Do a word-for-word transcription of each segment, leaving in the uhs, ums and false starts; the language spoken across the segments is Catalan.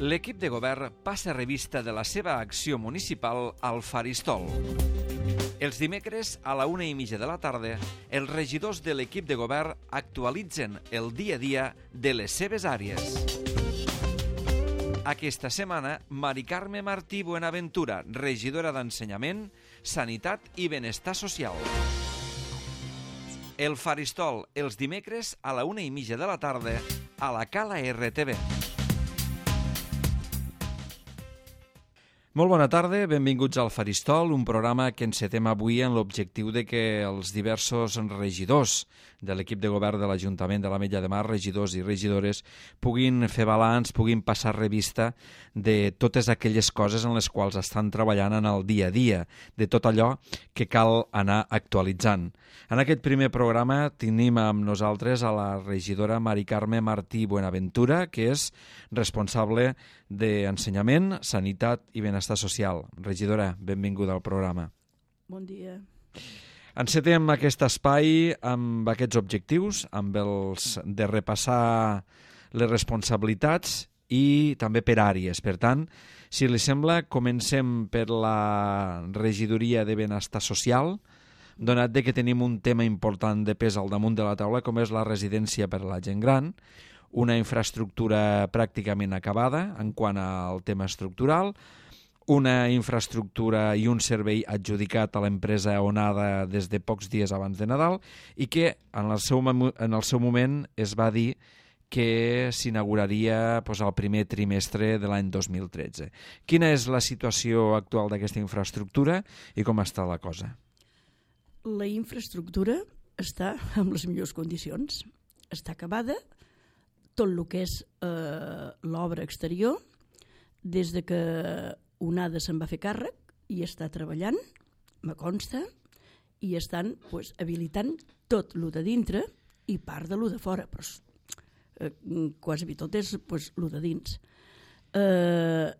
L'equip de govern passa revista de la seva acció municipal al Faristol. Els dimecres, a la una i mitja de la tarda, els regidors de l'equip de govern actualitzen el dia a dia de les seves àrees. Aquesta setmana, Mari Carme Martí Buenaventura, regidora d'Ensenyament, Sanitat i Benestar Social. El Faristol, els dimecres, a la una i mitja de la tarda, a la Cala R T V. Molt bona tarda, benvinguts al Faristol, un programa que encetem avui en l'objectiu de que els diversos regidors de l'equip de govern de l'Ajuntament de l'Ametlla de Mar, regidors i regidores, puguin fer balanç, puguin passar revista de totes aquelles coses en les quals estan treballant en el dia a dia, de tot allò que cal anar actualitzant. En aquest primer programa tenim amb nosaltres a la regidora Mari Carme Martí Buenaventura, que és responsable d'Ensenyament, Sanitat i Benestar Social. Regidora, benvinguda al programa. Bon dia. Encetem aquest espai amb aquests objectius, amb els de repassar les responsabilitats i també per àrees. Per tant, si li sembla, comencem per la regidoria de Benestar Social, donat de que tenim un tema important de pes al damunt de la taula, com és la residència per a la gent gran, una infraestructura pràcticament acabada en quant al tema estructural, una infraestructura i un servei adjudicat a l'empresa Onada des de pocs dies abans de Nadal i que en el seu, en el seu moment es va dir que s'inauguraria doncs, al primer trimestre de l'any dos mil tretze. Quina és la situació actual d'aquesta infraestructura i com està la cosa? La infraestructura està en les millors condicions. Està acabada, tot el que és eh, l'obra exterior, des de que Onada se'n va fer càrrec i està treballant, me consta, i estan pues, habilitant tot el de dintre i part de lo de fora, però eh, quasi tot és pues, lo de dins. Eh,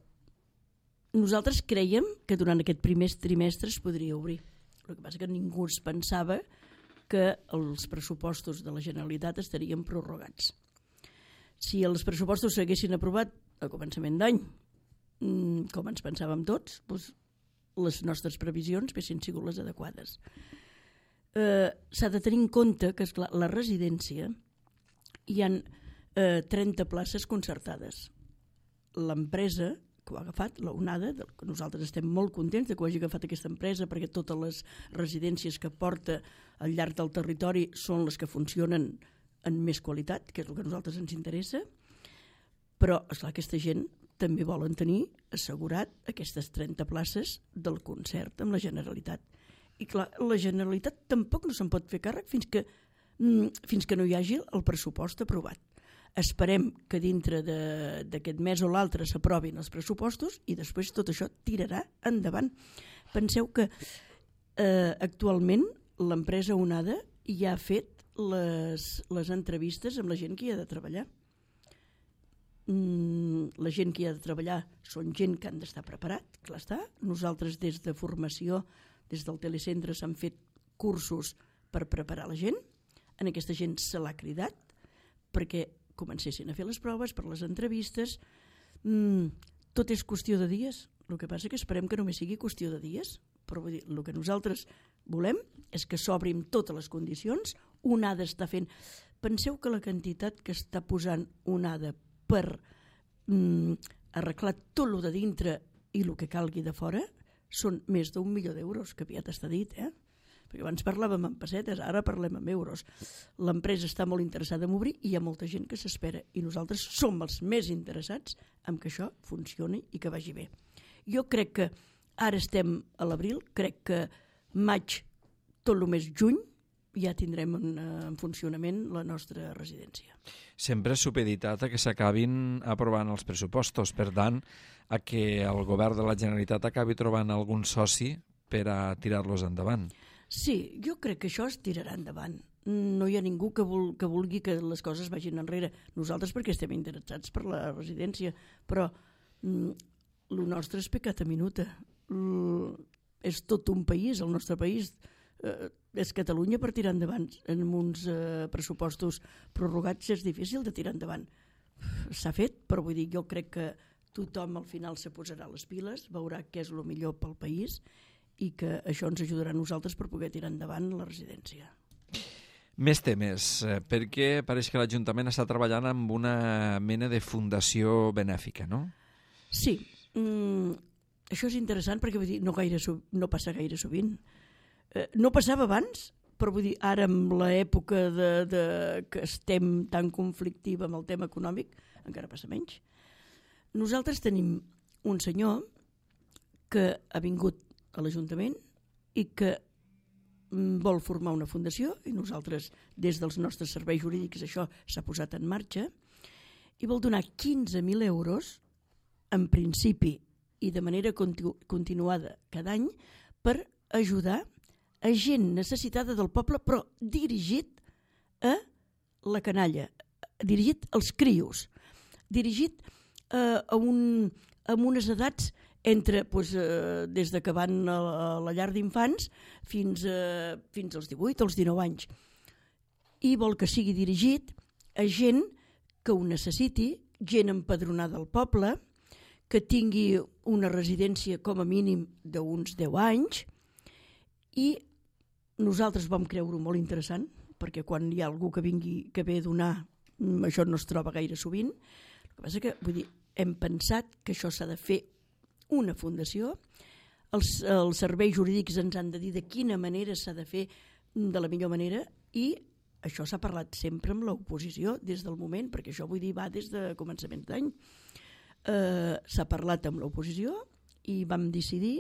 nosaltres creiem que durant aquest primer trimestre es podria obrir. El que passa que ningú es pensava que els pressupostos de la Generalitat estarien prorrogats. Si els pressupostos s'haguessin aprovat a començament d'any, com ens pensàvem tots, doncs les nostres previsions haguessin sigut les adequades. Eh, s'ha de tenir en compte que, esclar, la residència hi ha eh, trenta places concertades. L'empresa que ho ha agafat, la Onada, que nosaltres estem molt contents de que ho hagi agafat aquesta empresa perquè totes les residències que porta al llarg del territori són les que funcionen en més qualitat, que és el que a nosaltres ens interessa, però esclar, aquesta gent també volen tenir assegurat aquestes trenta places del concert amb la Generalitat. I clar, la Generalitat tampoc no se'n pot fer càrrec fins que, fins que no hi hagi el pressupost aprovat. Esperem que dintre d'aquest mes o l'altre s'aprovin els pressupostos i després tot això tirarà endavant. Penseu que eh, actualment l'empresa Onada ja ha fet les, les entrevistes amb la gent que hi ha de treballar. Mm, la gent que hi ha de treballar són gent que han d'estar preparat, clar està. Nosaltres des de formació, des del telecentre s'han fet cursos per preparar la gent. En aquesta gent se l'ha cridat perquè comencessin a fer les proves per les entrevistes. Mm, tot és qüestió de dies. El que passa que esperem que només sigui qüestió de dies. Però vull dir, el que nosaltres volem és que s'obrin totes les condicions. Onada està fent... Penseu que la quantitat que està posant Onada per mm, arreglar tot el de dintre i el que calgui de fora són més d'un milió d'euros, que aviat està dit, eh? Perquè abans parlàvem en pessetes, ara parlem en euros. L'empresa està molt interessada en obrir i hi ha molta gent que s'espera i nosaltres som els més interessats en que això funcioni i que vagi bé. Jo crec que ara estem a l'abril, crec que maig, tot el mes juny, ja tindrem en, en funcionament la nostra residència. Sempre és supeditat a que s'acabin aprovant els pressupostos, per tant, a que el govern de la Generalitat acabi trobant algun soci per a tirar-los endavant. Sí, jo crec que això es tirarà endavant. No hi ha ningú que, vul, que vulgui que les coses vagin enrere. Nosaltres perquè estem interessats per la residència, però mm, el nostre és pecat a minuta. L, és tot un país, el nostre país eh, és Catalunya per tirar endavant. En uns eh, pressupostos prorrogats és difícil de tirar endavant. S'ha fet, però vull dir, jo crec que tothom al final se posarà les piles, veurà què és el millor pel país i que això ens ajudarà a nosaltres per poder tirar endavant la residència. Més temes, perquè pareix que l'Ajuntament està treballant amb una mena de fundació benèfica, no? Sí, mm, això és interessant perquè vull dir, no, gaire, no passa gaire sovint. Eh, no passava abans, però vull dir, ara amb l'època de, de, que estem tan conflictiva amb el tema econòmic, encara passa menys. Nosaltres tenim un senyor que ha vingut a l'Ajuntament i que vol formar una fundació, i nosaltres des dels nostres serveis jurídics això s'ha posat en marxa, i vol donar quinze mil euros en principi i de manera continu continuada cada any per ajudar a gent necessitada del poble, però dirigit a la canalla, dirigit als crios, dirigit eh, a, un, a unes edats entre, doncs, eh, des de que van a, a la llar d'infants fins, eh, fins als divuit, als dinou anys. I vol que sigui dirigit a gent que ho necessiti, gent empadronada al poble, que tingui una residència com a mínim d'uns deu anys, i nosaltres vam creure molt interessant, perquè quan hi ha algú que vingui, que ve a donar, això no es troba gaire sovint. El que passa que, vull dir, hem pensat que això s'ha de fer una fundació, els, els serveis jurídics ens han de dir de quina manera s'ha de fer de la millor manera, i això s'ha parlat sempre amb l'oposició des del moment, perquè això vull dir va des de començaments d'any. Eh, s'ha parlat amb l'oposició i vam decidir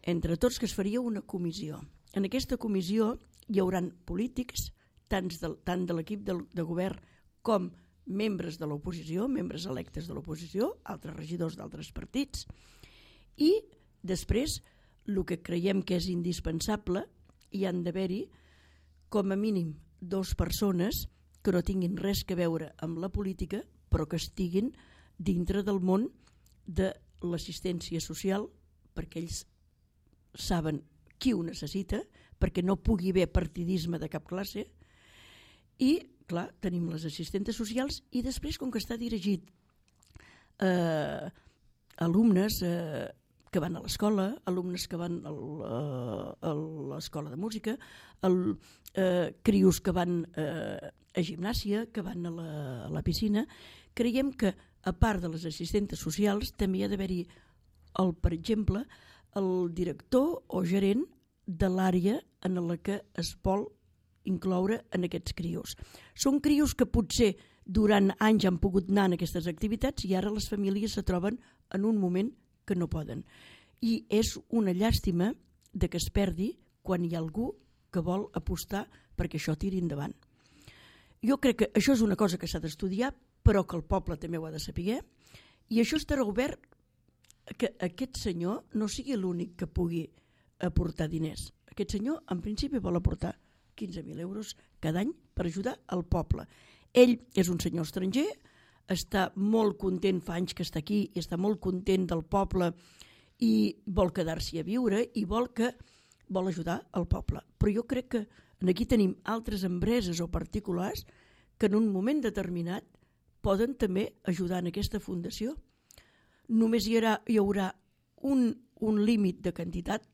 entre tots que es faria una comissió. En aquesta comissió hi haurà polítics, tant de, tant de l'equip de, de govern com membres de l'oposició, membres electes de l'oposició, altres regidors d'altres partits, i després el que creiem que és indispensable, hi han d'haver-hi com a mínim dues persones que no tinguin res a veure amb la política, però que estiguin dintre del món de l'assistència social, perquè ells saben qui ho necessita, perquè no pugui haver partidisme de cap classe. I, clar, tenim les assistentes socials, i després, com que està dirigit a eh, alumnes eh, que van a l'escola, alumnes que van a l'escola de música, el, eh, crios que van eh, a gimnàsia, que van a la, a la piscina, creiem que, a part de les assistentes socials, també hi ha d'haver-hi, el, per exemple, el director o gerent de l'àrea en la que es vol incloure en aquests crios. Són crios que potser durant anys han pogut anar en aquestes activitats i ara les famílies se troben en un moment que no poden. I és una llàstima de que es perdi quan hi ha algú que vol apostar perquè això tiri endavant. Jo crec que això és una cosa que s'ha d'estudiar, però que el poble també ho ha de saber, i això estarà obert que aquest senyor no sigui l'únic que pugui aportar diners. Aquest senyor, en principi, vol aportar quinze mil euros cada any per ajudar al poble. Ell és un senyor estranger, està molt content, fa anys que està aquí, i està molt content del poble i vol quedar-s'hi a viure i vol que vol ajudar al poble. Però jo crec que aquí tenim altres empreses o particulars que en un moment determinat poden també ajudar en aquesta fundació. Només hi haurà, hi haurà un, un límit de quantitat.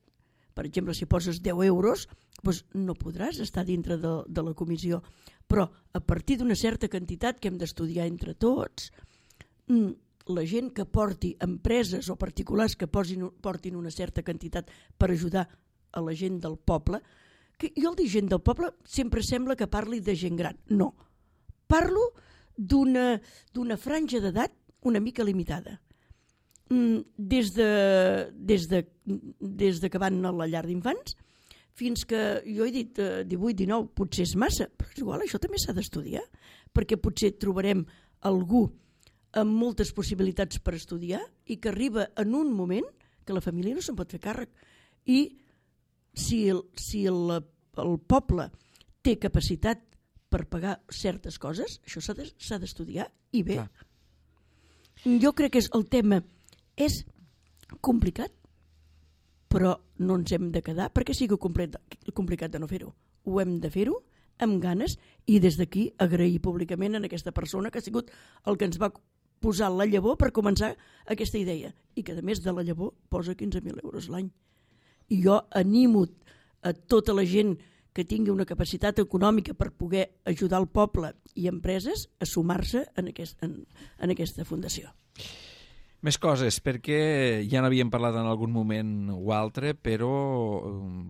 Per exemple, si poses deu euros, doncs no podràs estar dintre de, de la comissió. Però a partir d'una certa quantitat que hem d'estudiar entre tots, la gent que porti, empreses o particulars que posin, portin una certa quantitat per ajudar a la gent del poble, que jo al dir gent del poble sempre sembla que parli de gent gran. No, parlo d'una d'una franja d'edat una mica limitada. Des de, des de, des de que van a la llar d'infants fins que, jo he dit divuit, dinou, potser és massa, però és igual, això també s'ha d'estudiar, perquè potser trobarem algú amb moltes possibilitats per estudiar i que arriba en un moment que la família no se'n pot fer càrrec. I si el, si el, el poble té capacitat per pagar certes coses, això s'ha d'estudiar i bé. Clar. Jo crec que és el tema és complicat, però no ens hem de quedar perquè sigui complicat de no fer-ho. Ho hem de fer-ho amb ganes i des d'aquí agrair públicament a aquesta persona que ha sigut el que ens va posar la llavor per començar aquesta idea, i que a més de la llavor posa quinze mil euros l'any. I jo animo a tota la gent que tingui una capacitat econòmica per poder ajudar el poble i empreses a sumar-se en, aquest, en, en aquesta fundació. Més coses, perquè ja n'havíem parlat en algun moment o altre, però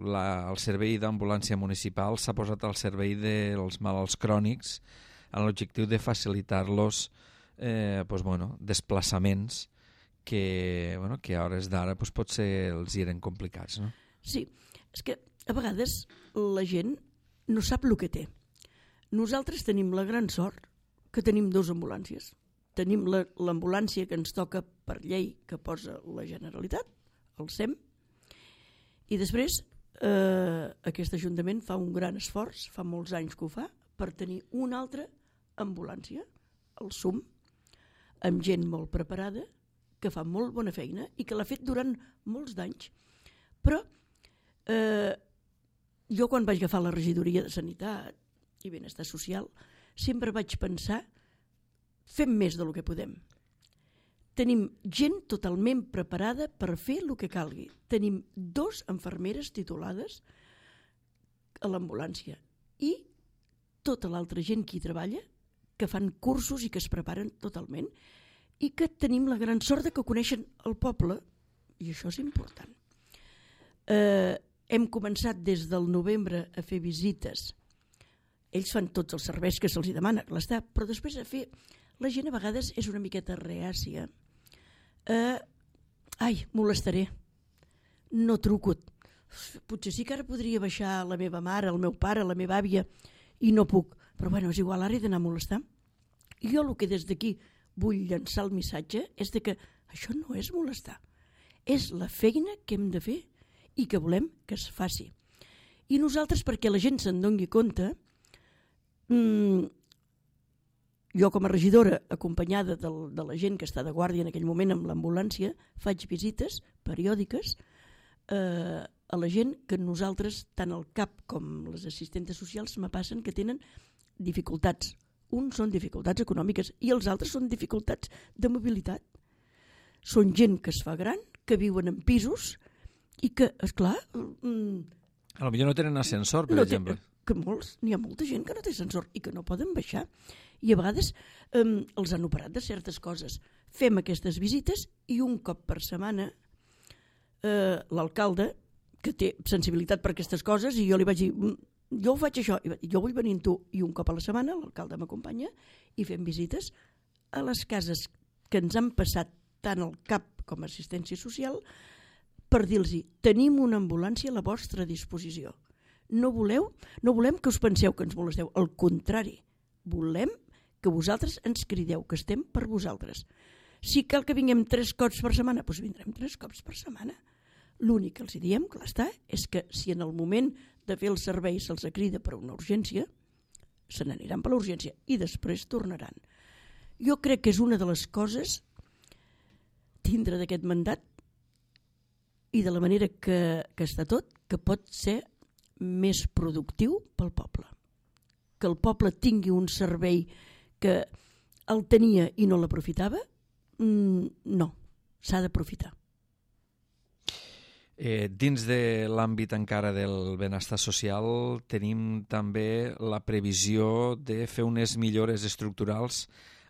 la, el servei d'ambulància municipal s'ha posat al servei dels malalts crònics amb l'objectiu de facilitar-los eh, pues, bueno, desplaçaments que, bueno, que a hores d'ara pues, potser els hi eren complicats. No? Sí, és que a vegades la gent no sap el que té. Nosaltres tenim la gran sort que tenim dues ambulàncies. Tenim l'ambulància que ens toca per llei que posa la Generalitat, el S E M, i després eh, aquest Ajuntament fa un gran esforç, fa molts anys que ho fa, per tenir una altra ambulància, el S U M, amb gent molt preparada, que fa molt bona feina i que l'ha fet durant molts d'anys. Però eh, jo quan vaig agafar la regidoria de Sanitat i Benestar Social sempre vaig pensar fem més del que podem. Tenim gent totalment preparada per fer el que calgui. Tenim dos infermeres titulades a l'ambulància i tota l'altra gent que hi treballa, que fan cursos i que es preparen totalment i que tenim la gran sort de que coneixen el poble, i això és important. Eh, hem començat des del novembre a fer visites. Ells fan tots els serveis que se'ls demana, clar està, però després a fer... La gent a vegades és una miqueta reàcia. Eh, ai, molestaré. No truco. Potser sí que ara podria baixar la meva mare, el meu pare, la meva àvia, i no puc. Però bueno, és igual, ara he d'anar a molestar. I jo el que des d'aquí vull llançar el missatge és de que això no és molestar. És la feina que hem de fer i que volem que es faci. I nosaltres, perquè la gent se'n doni compte, mmm, jo com a regidora, acompanyada del, de la gent que està de guàrdia en aquell moment amb l'ambulància, faig visites periòdiques eh, a la gent que nosaltres, tant el C A P com les assistentes socials, me passen que tenen dificultats. Uns són dificultats econòmiques i els altres són dificultats de mobilitat. Són gent que es fa gran, que viuen en pisos i que, esclar... Mm, a lo millor no tenen ascensor, per no exemple. Té, que molts, n'hi ha molta gent que no té ascensor i que no poden baixar. I a vegades eh, els han operat de certes coses. Fem aquestes visites i un cop per setmana eh, l'alcalde, que té sensibilitat per aquestes coses, i jo li vaig dir, jo ho faig això, jo vull venir amb tu, i un cop a la setmana l'alcalde m'acompanya i fem visites a les cases que ens han passat tant el C A P com a assistència social per dir-los, tenim una ambulància a la vostra disposició. No voleu, no volem que us penseu que ens molesteu, al contrari, volem que vosaltres ens crideu, que estem per vosaltres. Si cal que vinguem tres cops per setmana, doncs vindrem tres cops per setmana. L'únic que els diem, clar està, és que si en el moment de fer el servei se'ls crida per una urgència, se n'aniran per l'urgència i després tornaran. Jo crec que és una de les coses tindre d'aquest mandat i de la manera que, que està tot, que pot ser més productiu pel poble. Que el poble tingui un servei que el tenia i no l'aprofitava, no, s'ha d'aprofitar. Eh, dins de l'àmbit encara del benestar social tenim també la previsió de fer unes millores estructurals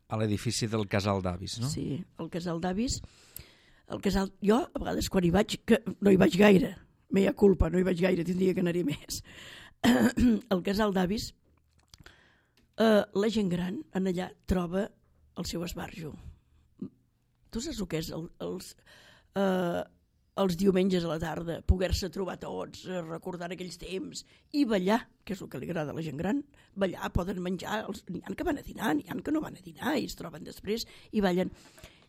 a l'edifici del Casal d'Avis, no? Sí, el Casal d'Avis, el casal, jo a vegades quan hi vaig, que no hi vaig gaire, mea culpa, no hi vaig gaire, tindria que anar-hi més. El Casal d'Avis, eh, la gent gran en allà troba el seu esbarjo. Tu saps el que és el, els, eh, els diumenges a la tarda, poder-se trobar tots, recordar aquells temps i ballar, que és el que li agrada a la gent gran. Ballar, poden menjar, els, n'hi ha que van a dinar, n'hi ha que no van a dinar i es troben després i ballen.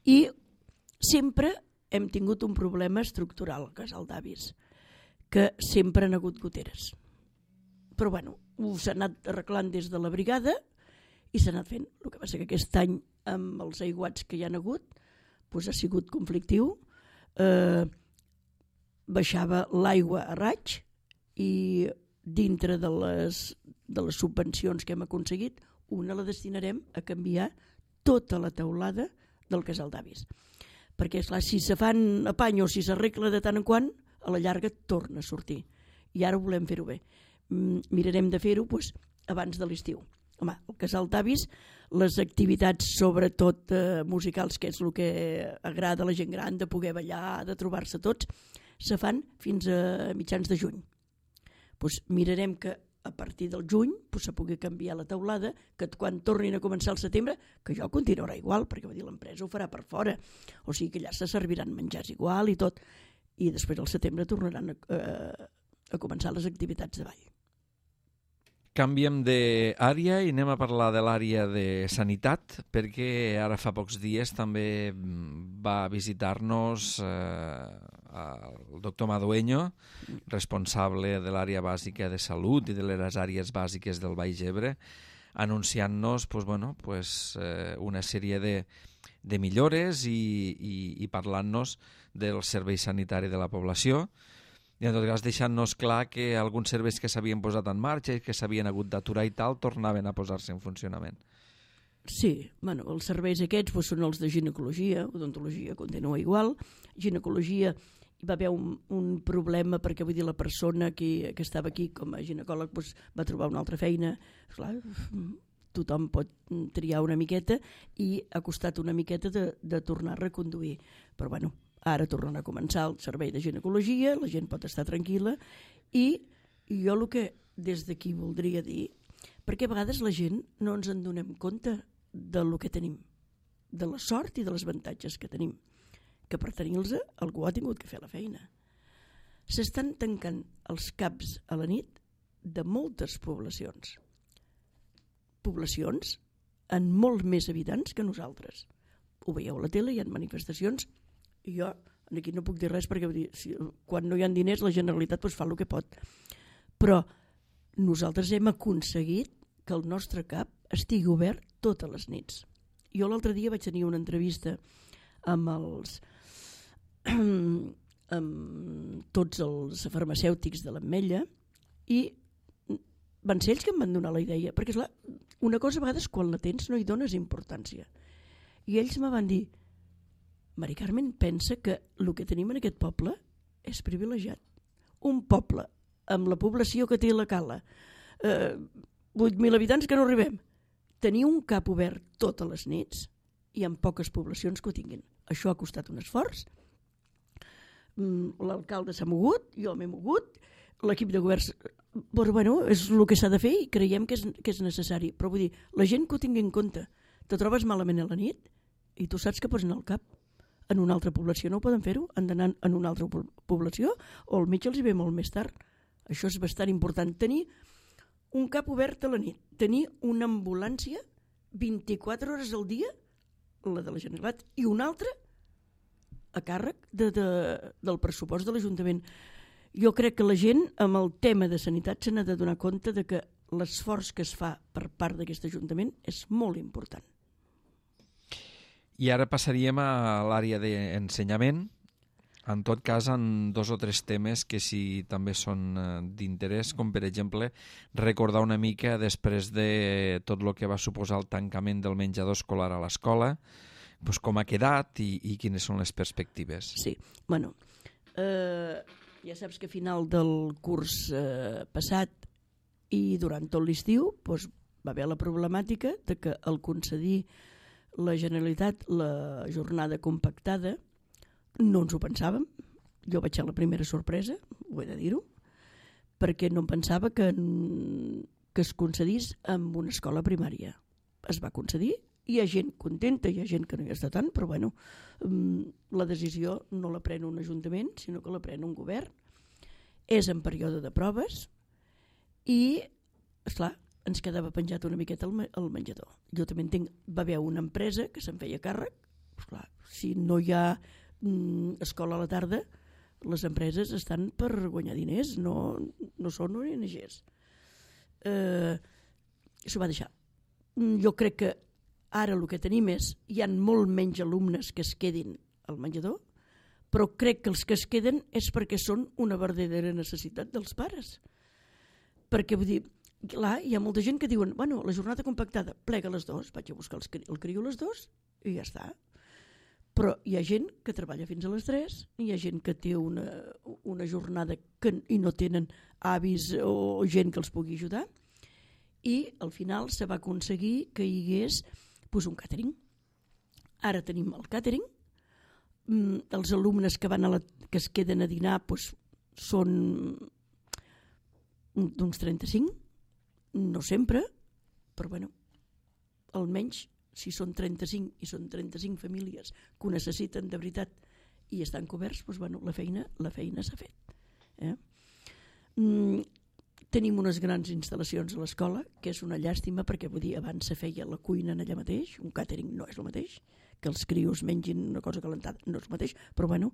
I sempre hem tingut un problema estructural al Casal d'Avis, que sempre han hagut goteres. Però bueno, s'ha anat arreglant des de la brigada i s'ha anat fent. El que passa que aquest any, amb els aiguats que hi han hagut, doncs ha sigut conflictiu. Eh, baixava l'aigua a raig i dintre de les, de les subvencions que hem aconseguit, una la destinarem a canviar tota la teulada del casal d'avis. Perquè, esclar, si se fan apany o si s'arregla de tant en quant, a la llarga torna a sortir. I ara volem fer-ho bé. Mirarem de fer-ho doncs, abans de l'estiu. Home, el casal d'avis, les activitats sobretot eh, musicals, que és el que agrada a la gent gran, de poder ballar, de trobar-se tots, se fan fins a mitjans de juny. Pues mirarem que a partir del juny pues, se pugui canviar la teulada, que quan tornin a començar el setembre, que jo continuarà igual, perquè vull dir, l'empresa ho farà per fora. O sigui que allà se serviran menjars igual i tot. I després al setembre tornaran a, a, a començar les activitats de ball. Canviem d'àrea i anem a parlar de l'àrea de sanitat, perquè ara fa pocs dies també va visitar-nos eh, el doctor Madueño, responsable de l'àrea bàsica de salut i de les àrees bàsiques del Baix Ebre, anunciant-nos pues, bueno, pues, eh, una sèrie de, de millores i, i, i parlant-nos del servei sanitari de la població. I en tot cas deixant-nos clar que alguns serveis que s'havien posat en marxa i que s'havien hagut d'aturar i tal tornaven a posar-se en funcionament. Sí, bueno, els serveis aquests doncs, són els de ginecologia, odontologia continua igual. Ginecologia hi va haver un, un problema perquè vull dir la persona que, que estava aquí com a ginecòleg doncs, va trobar una altra feina. Esclar, tothom pot triar una miqueta i ha costat una miqueta de, de tornar a reconduir. Però bueno, ara tornen a començar el servei de ginecologia, la gent pot estar tranquil·la i jo el que des d'aquí voldria dir, perquè a vegades la gent no ens en donem compte del que tenim, de la sort i dels avantatges que tenim, que per tenir-los algú ha tingut que fer la feina. S'estan tancant els caps a la nit de moltes poblacions. Poblacions amb molt més habitants que nosaltres. Ho veieu a la tele, hi ha manifestacions. I jo aquí no puc dir res perquè dir, si, quan no hi ha diners la Generalitat pues, fa el que pot. Però nosaltres hem aconseguit que el nostre cap estigui obert totes les nits. Jo l'altre dia vaig tenir una entrevista amb els amb tots els farmacèutics de l'Ametlla i van ser ells que em van donar la idea, perquè esclar, una cosa a vegades quan la tens no hi dones importància. I ells me van dir: Mari Carmen, pensa que el que tenim en aquest poble és privilegiat. Un poble amb la població que té la Cala, eh, vuit mil habitants que no arribem, tenir un cap obert totes les nits i amb poques poblacions que ho tinguin. Això ha costat un esforç. L'alcalde s'ha mogut, jo m'he mogut, l'equip de governs... Però bueno, és el que s'ha de fer i creiem que és, que és necessari. Però vull dir, la gent que ho tingui en compte, te trobes malament a la nit i tu saps que pots anar al cap. En una altra població no ho poden fer-ho, han d'anar en una altra població o el metge els hi ve molt més tard. Això és bastant important. Tenir un cap obert a la nit, tenir una ambulància vint-i-quatre hores al dia, la de la Generalitat, i una altra a càrrec de, de, del pressupost de l'Ajuntament. Jo crec que la gent amb el tema de sanitat se n'ha de donar compte de que l'esforç que es fa per part d'aquest Ajuntament és molt important. I ara passaríem a l'àrea d'ensenyament, en tot cas en dos o tres temes que sí també són d'interès, com per exemple recordar una mica després de tot el que va suposar el tancament del menjador escolar a l'escola, doncs com ha quedat i, i quines són les perspectives. Sí, bueno, eh, ja saps que a final del curs eh, passat i durant tot l'estiu doncs, va haver la problemàtica de que al concedir la Generalitat la jornada compactada no ens ho pensàvem. Jo vaig ser la primera sorpresa, ho he de dir-ho, perquè no em pensava que, que es concedís amb una escola primària. Es va concedir, hi ha gent contenta, hi ha gent que no hi està tant, però bueno, la decisió no la pren un ajuntament, sinó que la pren un govern. És en període de proves i, esclar, ens quedava penjat una miqueta el menjador. Jo també entenc, va haver una empresa que se'n feia càrrec. Esclar, si no hi ha mm, escola a la tarda, les empreses estan per guanyar diners, no, no són O N Ges. Eh, S'ho va deixar. Jo crec que ara el que tenim és, hi ha molt menys alumnes que es quedin al menjador, però crec que els que es queden és perquè són una verdadera necessitat dels pares. Perquè vull dir, clar, hi ha molta gent que diuen, bueno, la jornada compactada, plega les dos, vaig a buscar els, el criu les dos i ja està. Però hi ha gent que treballa fins a les tres, hi ha gent que té una, una jornada que, i no tenen avis o gent que els pugui ajudar, i al final se va aconseguir que hi hagués pues, un càtering. Ara tenim el càtering, mm, els alumnes que, van a la, que es queden a dinar pues, són d'uns trenta-cinc, no sempre, però bueno, almenys si són trenta-cinc i són trenta-cinc famílies que ho necessiten de veritat i estan coberts, doncs, bueno, la feina la feina s'ha fet. Eh? Mm, tenim unes grans instal·lacions a l'escola, que és una llàstima perquè vull dir, abans se feia la cuina allà mateix, un càtering no és el mateix, que els crios mengin una cosa calentada no és el mateix, però bueno,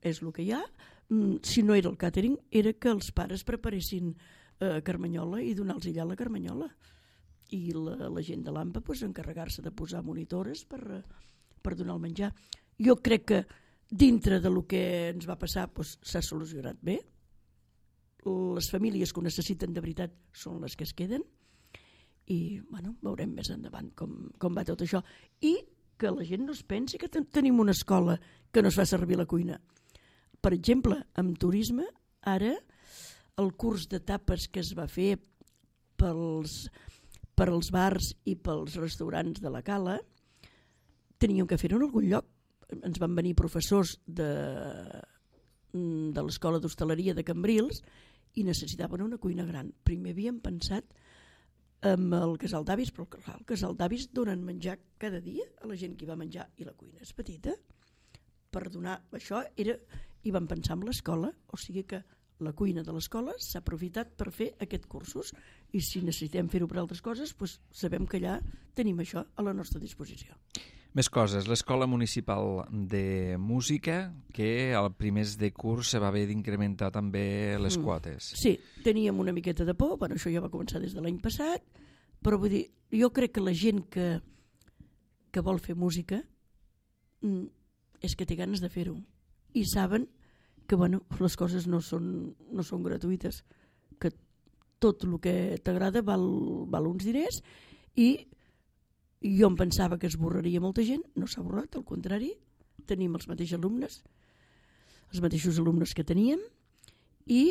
és el que hi ha. Mm, si no era el càtering, era que els pares preparessin eh, carmanyola i donar-los allà la carmanyola. I la, la gent de l'AMPA pues, encarregar-se de posar monitores per, per donar el menjar. Jo crec que dintre del que ens va passar pues, s'ha solucionat bé. Les famílies que ho necessiten de veritat són les que es queden i bueno, veurem més endavant com, com va tot això. I que la gent no es pensi que ten tenim una escola que no es fa servir la cuina. Per exemple, amb turisme, ara el curs de tapes que es va fer pels... per als bars i pels restaurants de la Cala, teníem que fer-ho en algun lloc. Ens van venir professors de, de l'Escola d'Hostaleria de Cambrils i necessitaven una cuina gran. Primer havíem pensat en el casal d'avis, però clar, el casal d'avis donen menjar cada dia a la gent que hi va menjar i la cuina és petita. Per donar això era, i vam pensar en l'escola, o sigui que la cuina de l'escola s'ha aprofitat per fer aquests cursos i si necessitem fer-ho per altres coses, doncs sabem que allà tenim això a la nostra disposició. Més coses. L'Escola Municipal de Música, que al primers de curs se va haver d'incrementar també les mm. quotes. Sí, teníem una miqueta de por, bueno, això ja va començar des de l'any passat, però vull dir, jo crec que la gent que, que vol fer música mm, és que té ganes de fer-ho i saben que bueno, les coses no són, no són gratuïtes, que tot el que t'agrada val, val uns diners i jo em pensava que es borraria molta gent, no s'ha borrat, al contrari, tenim els mateixos alumnes, els mateixos alumnes que teníem i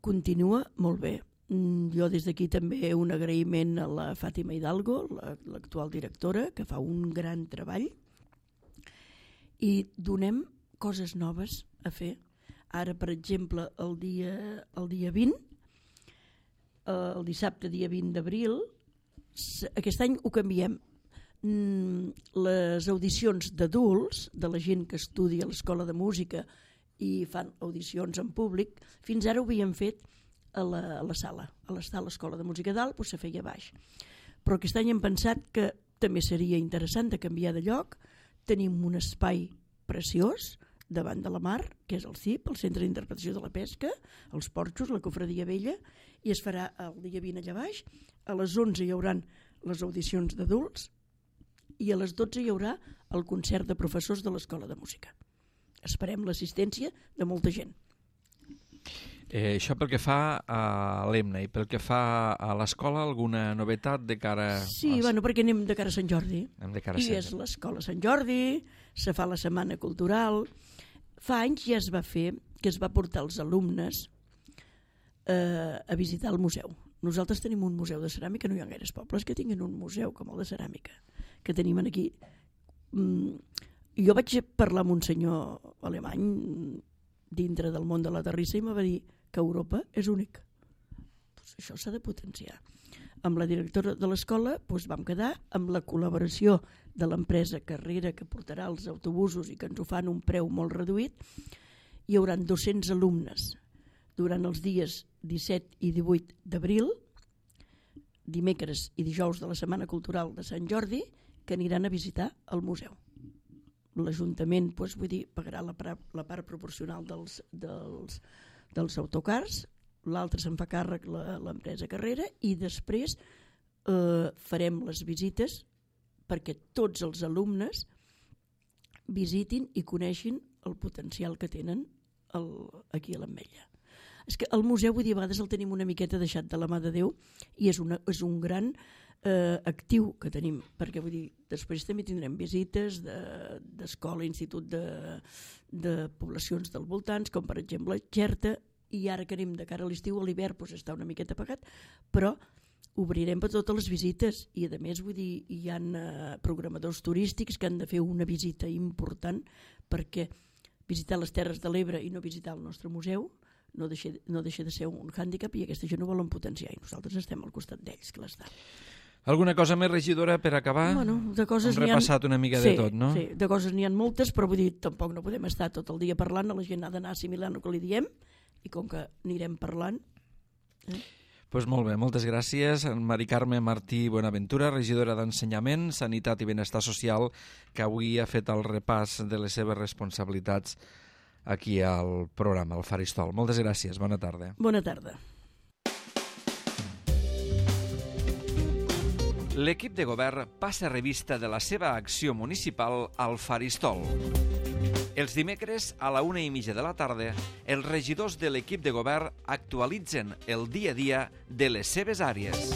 continua molt bé. Jo des d'aquí també un agraïment a la Fàtima Hidalgo, l'actual directora, que fa un gran treball i donem coses noves a fer. Ara, per exemple, el dia, el dia vint, el dissabte dia vint d'abril, aquest any ho canviem. Les audicions d'adults, de la gent que estudia a l'Escola de Música i fan audicions en públic, fins ara ho havíem fet a la, a la sala. A l'Escola de Música dalt doncs se feia baix. Però aquest any hem pensat que també seria interessant de canviar de lloc. Tenim un espai preciós davant de la mar, que és el C I P, el Centre d'Interpretació de la Pesca, els porxos, la cofradia vella, i es farà el dia vint allà baix. A les onze hi haurà les audicions d'adults i a les dotze hi haurà el concert de professors de l'Escola de Música. Esperem l'assistència de molta gent. Eh, això pel que fa a l'E M N A i pel que fa a l'escola, alguna novetat de cara... Sí, als... bueno, perquè anem de cara a Sant Jordi. Anem de cara a I Sant és l'Escola Sant Jordi, se fa la Setmana Cultural. Fa anys ja es va fer que es va portar els alumnes eh, a visitar el museu. Nosaltres tenim un museu de ceràmica, no hi ha gaires pobles que tinguin un museu com el de ceràmica, que tenim aquí. Mm, jo vaig parlar amb un senyor alemany dintre del món de la terrissa i em va dir que Europa és únic. Pues això s'ha de potenciar. Amb la directora de l'escola pues, vam quedar amb la col·laboració de l'empresa Carrera que portarà els autobusos i que ens ho fan un preu molt reduït. Hi haurà dos-cents alumnes durant els dies disset i divuit d'abril, dimecres i dijous de la Setmana Cultural de Sant Jordi, que aniran a visitar el museu. L'Ajuntament pues, vull dir, pagarà la part, la part proporcional dels, dels, dels autocars, l'altre se'n fa càrrec l'empresa Carrera i després eh, farem les visites perquè tots els alumnes visitin i coneixin el potencial que tenen el, aquí a l'Ametlla. És que el museu, vull dir, a vegades el tenim una miqueta deixat de la mà de Déu i és, una, és un gran eh, actiu que tenim, perquè vull dir, després també tindrem visites d'escola, de, institut de, de poblacions del voltants, com per exemple Xerta, i ara que anem de cara a l'estiu, a l'hivern doncs està una miqueta apagat, però obrirem per totes les visites i a més vull dir, hi ha eh, programadors turístics que han de fer una visita important, perquè visitar les Terres de l'Ebre i no visitar el nostre museu no deixa, no deixa de ser un hàndicap, i aquesta gent ho volen potenciar i nosaltres estem al costat d'ells, que l'estan. Alguna cosa més, regidora, per acabar? Bueno, de coses Hem repassat una mica sí, de tot, no? Sí, de coses n'hi ha moltes, però vull dir, tampoc no podem estar tot el dia parlant, la gent ha d'anar assimilant el que li diem, i com que anirem parlant... Eh? Pues molt bé, moltes gràcies. Mari Carme Martí Buenaventura, regidora d'Ensenyament, Sanitat i Benestar Social, que avui ha fet el repàs de les seves responsabilitats aquí al programa, al Faristol. Moltes gràcies, bona tarda. Bona tarda. L'equip de govern passa revista de la seva acció municipal al Faristol. Els dimecres, a la una i mitja de la tarda, els regidors de l'equip de govern actualitzen el dia a dia de les seves àrees.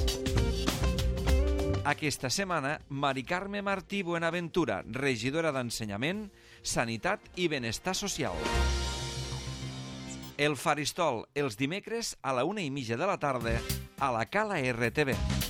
Aquesta setmana, Mari Carme Martí Buenaventura, regidora d'Ensenyament, Sanitat i Benestar Social. El Faristol, els dimecres, a la una i mitja de la tarda, a la Cala R T V.